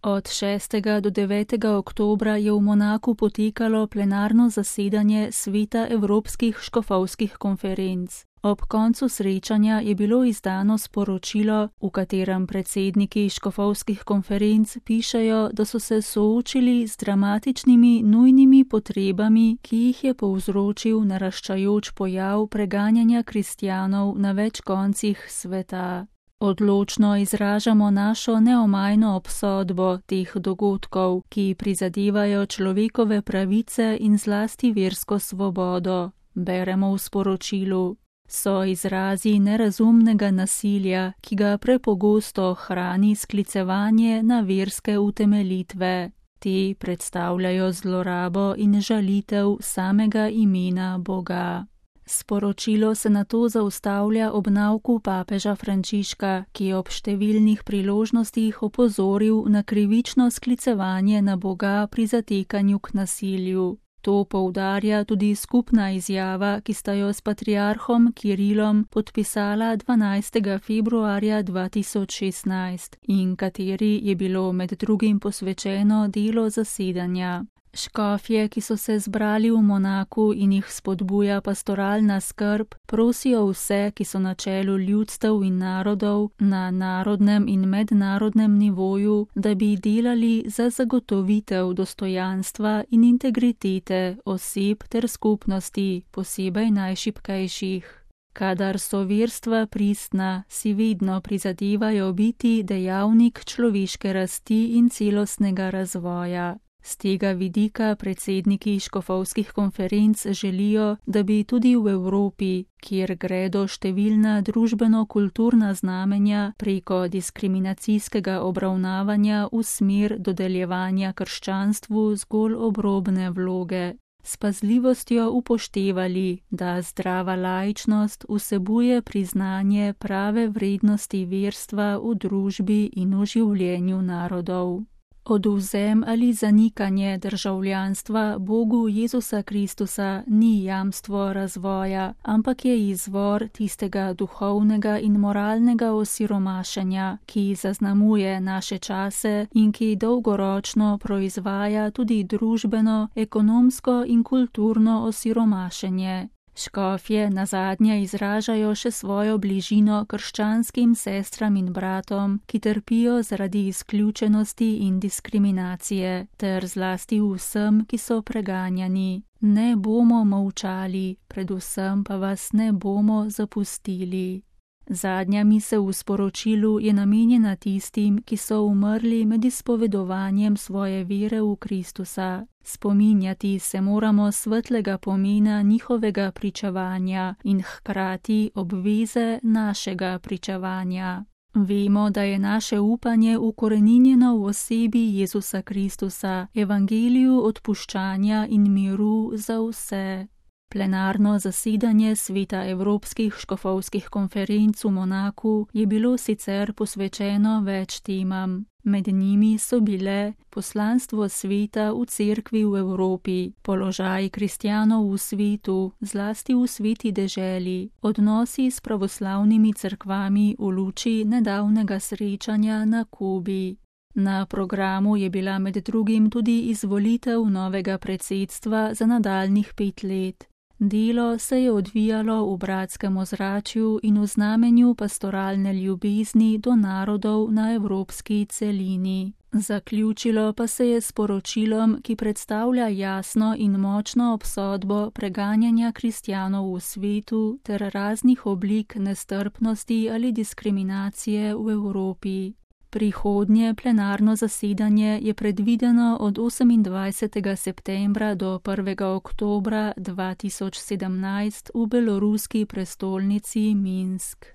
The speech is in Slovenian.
Od 6. do 9. oktobra je v Monaku potekalo plenarno zasedanje Sveta Evropskih škofovskih konferenc. Ob koncu srečanja je bilo izdano sporočilo, v katerem predsedniki škofovskih konferenc pišejo, da so se soočili z dramatičnimi nujnimi potrebami, ki jih je povzročil naraščajoč pojav preganjanja kristjanov na več koncih sveta. Odločno izražamo našo neomajno obsodbo teh dogodkov, ki prizadevajo človekove pravice in zlasti versko svobodo, beremo v sporočilu. So izrazi nerazumnega nasilja, ki ga prepogosto hrani sklicevanje na verske utemeljitve. Te predstavljajo zlorabo in žalitev samega imena Boga. Sporočilo se nato zaustavlja ob nauku papeža Frančiška, ki je ob številnih priložnostih opozoril na krivično sklicevanje na Boga pri zatekanju k nasilju. To poudarja tudi skupna izjava, ki sta jo s patriarhom Kirilom podpisala 12. februarja 2016 in kateri je bilo med drugim posvečeno delo zasedanja. Škofje, ki so se zbrali v Monaku in jih spodbuja pastoralna skrb, prosijo vse, ki so na čelu ljudstev in narodov, na narodnem in mednarodnem nivoju, da bi delali za zagotovitev dostojanstva in integritete oseb ter skupnosti, posebej najšibkejših. Kadar so verstva pristna, si vedno prizadevajo biti dejavnik človeške rasti in celostnega razvoja. Z tega vidika predsedniki škofovskih konferenc želijo, da bi tudi v Evropi, kjer gredo številna družbeno-kulturna znamenja preko diskriminacijskega obravnavanja v smer dodeljevanja krščanstvu zgolj obrobne vloge, s pazljivostjo upoštevali, da zdrava laičnost vsebuje priznanje prave vrednosti verstva v družbi in v življenju narodov. Odvzem ali zanikanje državljanstva Bogu Jezusa Kristusa ni jamstvo razvoja, ampak je izvor tistega duhovnega in moralnega osiromašenja, ki zaznamuje naše čase in ki dolgoročno proizvaja tudi družbeno, ekonomsko in kulturno osiromašenje. Škofje nazadnje izražajo še svojo bližino krščanskim sestram in bratom, ki trpijo zaradi izključenosti in diskriminacije, ter zlasti vsem, ki so preganjani. Ne bomo molčali, predvsem pa vas ne bomo zapustili. Zadnja misel v sporočilu je namenjena tistim, ki so umrli med izpovedovanjem svoje vere v Kristusa. Spominjati se moramo svetlega pomena njihovega pričevanja in hkrati obveze našega pričevanja. Vemo, da je naše upanje ukoreninjeno v osebi Jezusa Kristusa, evangeliju odpuščanja in miru za vse. Plenarno zasedanje Sveta Evropskih škofovskih konferenc v Monaku je bilo sicer posvečeno več temam. Med njimi so bile poslanstvo sveta v cerkvi v Evropi, položaj kristjanov v svetu, zlasti v sveti deželi, odnosi s pravoslavnimi cerkvami v luči nedavnega srečanja na Kubi. Na programu je bila med drugim tudi izvolitev novega predsedstva za nadaljnjih 5 let. Delo se je odvijalo v bratskem ozračju in v znamenju pastoralne ljubezni do narodov na evropski celini. Zaključilo pa se je s poročilom, ki predstavlja jasno in močno obsodbo preganjanja kristjanov v svetu ter raznih oblik nestrpnosti ali diskriminacije v Evropi. Prihodnje plenarno zasedanje je predvideno od 28. septembra do 1. oktobra 2017 v beloruski prestolnici Minsk.